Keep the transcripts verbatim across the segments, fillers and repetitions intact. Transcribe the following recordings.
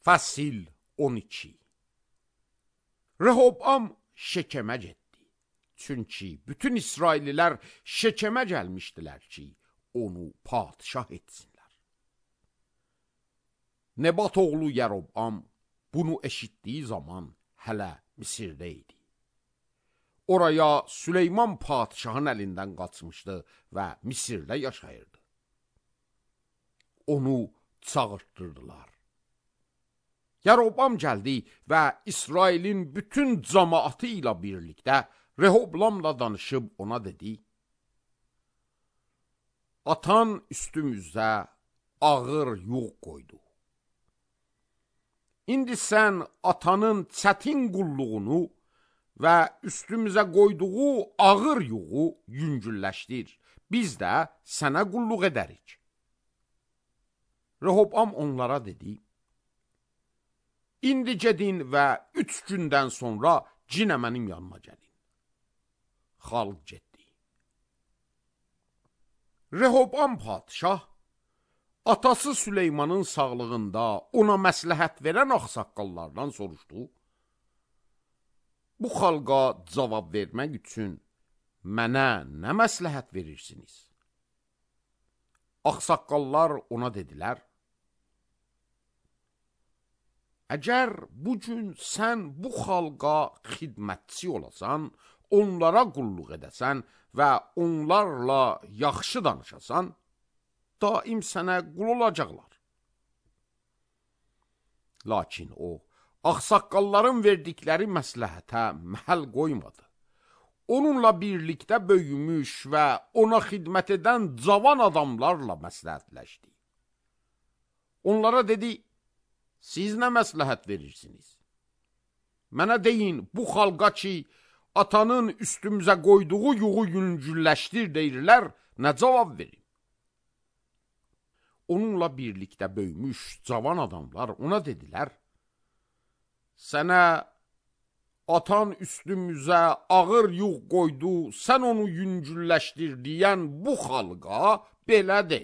Fəsil on iki. Rehobam Şekemə getdi. Çünki bütün İsraillilər Şekemə gəlmişdilər ki, onu padişah etsinlər. Nebat oğlu Yerobam bunu eşitdiyi zaman hələ Misirdə idi. Oraya Süleyman padişahın əlindən qaçmışdı və Misirdə yaşayırdı. Onu çağırtdırdılar. Yerobam gəldi və İsrailin bütün cəmaatı ilə birlikdə Rehoblamla danışıb ona dedi: Atan üstümüzdə ağır yük qoydu. İndi sən atanın çətin qulluğunu və üstümüzə qoyduğu ağır yuğu yüngülləşdir. Biz də sənə qulluq edərik. Rehobam onlara dedi: İndi gedin və üç gündən sonra cinə mənim yanıma gəlin. Xalq getdi. Rehobam padişah atası Süleymanın sağlığında ona məsləhət verən ağsaqqallardan soruşdu: Bu xalqa cavab vermək üçün mənə nə məsləhət verirsiniz? Ağsaqqallar ona dedilər: Əgər bugün sən bu xalqa xidmətçi olasan, onlara qulluq edəsən və onlarla yaxşı danışasan, daim sənə qul olacaqlar. Lakin o, ağsaqqalların verdikləri məsləhətə məhəl qoymadı. Onunla birlikdə böyümüş və ona xidmət edən cavan adamlarla məsləhətləşdi. Onlara dedi: Siz nə məsləhət verirsiniz? Mənə deyin, bu xalqa ki, atanın üstümüzə qoyduğu yuğu yüngülləşdir deyirlər, nə cavab verin? Onunla birlikdə böyümüş cavan adamlar ona dedilər: Sənə atan üstümüzə ağır yuğ qoydu, sən onu yüngülləşdir deyən bu xalqa belə de: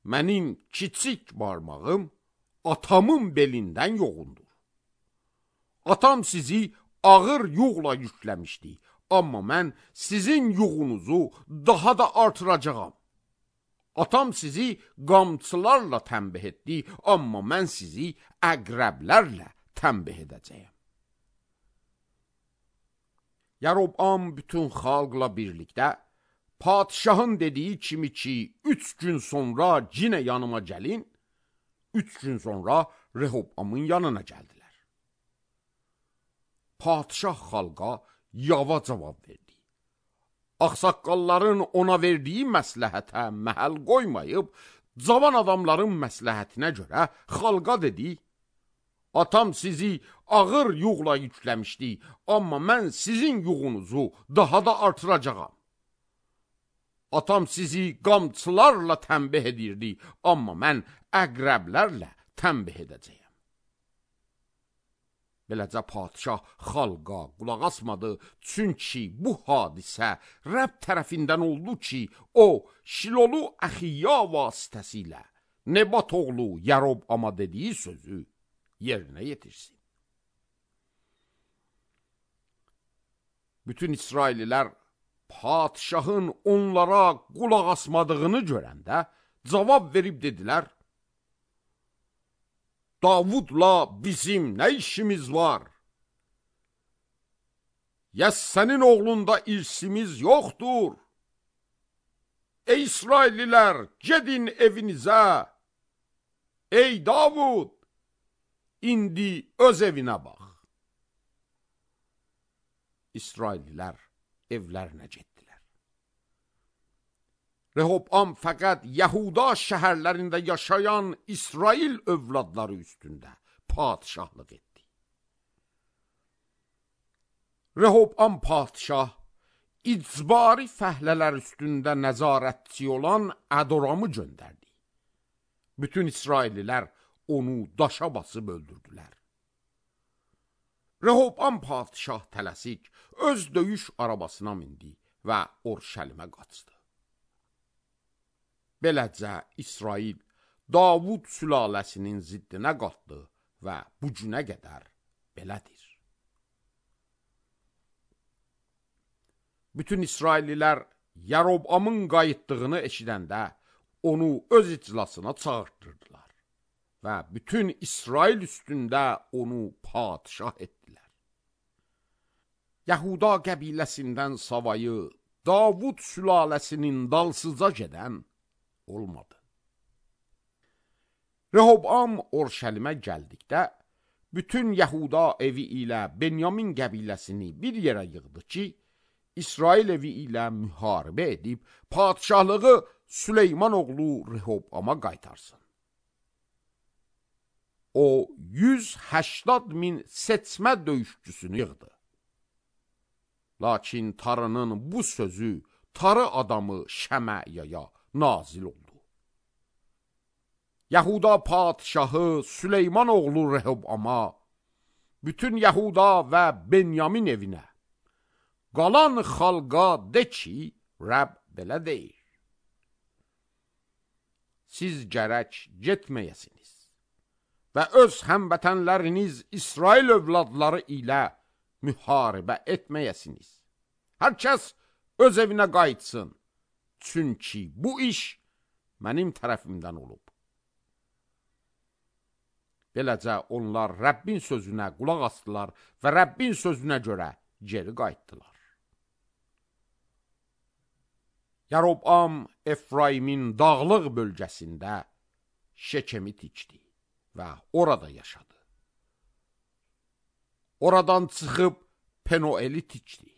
Mənim kiçik barmağım atamın belindən yoğundur. Atam sizi ağır yuğla yükləmişdi, amma mən sizin yuğunuzu daha da artıracağam. Atam sizi qamçılarla tənbih etdi, amma mən sizi əqrəblərlə tənbih edəcəyəm. Yerobam bütün xalqla birlikdə padişahın dediyi kimi ki, üç gün sonra cinə yanıma gəlin, üç gün sonra Rehobamın yanına gəldilər. Padişah xalqa yava cavab verdi. Ağsaqqalların ona verdiyi məsləhətə məhəl qoymayıb, cavan adamların məsləhətinə görə xalqa dedi: Atam sizi ağır yuğla yükləmişdi, amma mən sizin yuğunuzu daha da artıracağam. Atam sizi qamçılarla tənbih edirdi, amma mən əqrəblərlə tənbih edəcəyəm. Beləcə padişah xalqa qulaq asmadı, çünki bu hadisə Rəbb tərəfindən oldu ki, o Şilolu Əxiya vasitəsilə Nebat oğlu Yerobama dediyi sözü yerinə yetirsin. Bütün İsraillilər padişahın onlara qulaq asmadığını görəndə cavab verib dedilər: Davudla bizim nə işimiz var? Ya sənin oğlunda irsimiz yoxdur? Ey İsraillilər, gedin evinizə. Ey Davud, indi öz evinə bax. İsraillilər evlərinə getdilər. Rehobam fəqət Yahuda şəhərlərində yaşayan İsrail övladları üstündə padişahlıq etdi. Rehobam padişah icbari fəhlələr üstündə nəzarətçi olan Ədoramı göndərdi. Bütün İsraillilər onu daşa basıb öldürdülər. Rehobam padişah tələsik öz döyüş arabasına mindi və Orşəlimə qaçdı. Beləcə İsrail Davud sülaləsinin ziddinə qalxdı və bu günə qədər belədir. Bütün İsraillilər Yarobamın qayıtdığını eşidəndə onu öz iclasına çağırtdırdılar və bütün İsrail üstündə onu padişah etdilər. Yahuda qəbiləsindən savayı Davud sülaləsinin dalsıca gedən olmadı. Rehobam Orşəlimə gəldikdə, bütün Yahuda evi ilə Benyamin qəbiləsini bir yerə yığdı ki, İsrail evi ilə müharibə edib, padişahlığı Süleyman oğlu Rehobama qaytarsın. O, yüz həştad min seçmə döyüşçüsünü yığdı. Lakin Tarının bu sözü Tarı adamı Şəməyaya nazil oldu. Yahuda padişahı Süleyman oğlu Rehobama, bütün Yahuda və Benyamin evinə, qalan xalqa de ki, Rəbb belə deyir. Siz gərək getməyəsiniz və öz həmvətənləriniz İsrail övladları ilə müharibə etməyəsiniz. Hər kəs öz evinə qayıtsın, çünki bu iş mənim tərəfimdən olub. Beləcə onlar Rəbbin sözünə qulaq asdılar və Rəbbin sözünə görə geri qayıtdılar. Yarobam Efraimin dağlıq bölgəsində Şekemi tikdi və orada yaşadı. Oradan çıxıb Penoeli tikdi.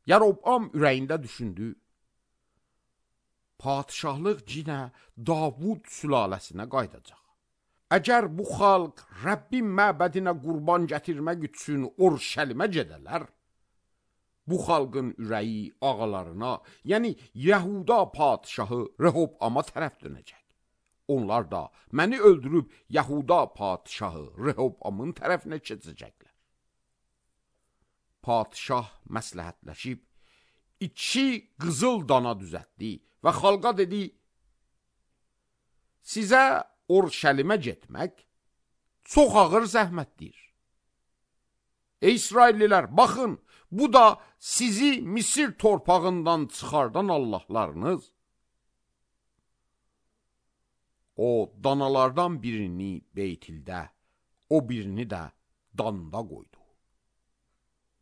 Yarobam ürəyində düşündü, padişahlıq yenə Davud sülaləsinə qayıdacaq. Əgər bu xalq Rəbbin məbədinə qurban gətirmək üçün Orşəlimə gedələr, bu xalqın ürəyi ağalarına, yəni Yahuda padişahı Rehobama tərəf dönəcək. Onlar da məni öldürüb Yahuda padişahı Rehobamın tərəfinə keçəcəklər. Padişah məsləhətləşib, iki qızıl dana düzətdi və xalqa dedi, sizə Orşəlimə getmək çox ağır zəhmətdir. Ey İsraillilər, baxın, bu da sizi Misir torpağından çıxardan Allahlarınız. O, danalardan birini Beytildə, o birini də Danda qoydu.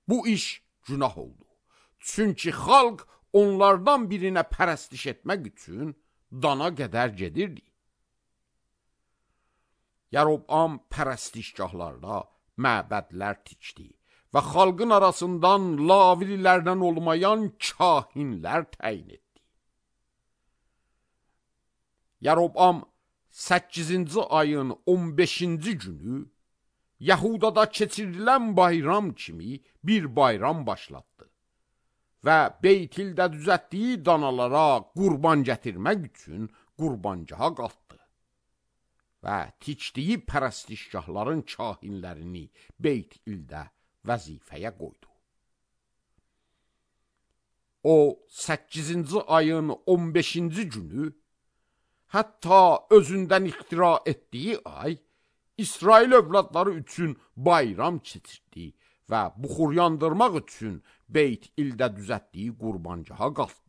Bu iş günah oldu. Çünki xalq onlardan birinə pərəstiş etmək üçün Dana qədər gedirdi. Yarobam pərəstişgahlarda məbədlər tikdi və xalqın arasından lavililərdən olmayan kahinlər təyin etdi. Yarobam səkkizinci ayın on beşinci günü Yahudada keçirilən bayram kimi bir bayram başlatdı və Beytildə düzətdiyi danalara qurban gətirmək üçün qurbancaha qalxdı və tikdiyi pərəstişgahların kahinlərini Beytildə vəzifəyə qoydu. O, səkkizinci ayın on beşinci günü, hətta özündən ixtira etdiyi ay, İsrail övladları üçün bayram keçirdi və buxur yandırmaq üçün Beytildə düzətdiyi qurbancaha qalxdı.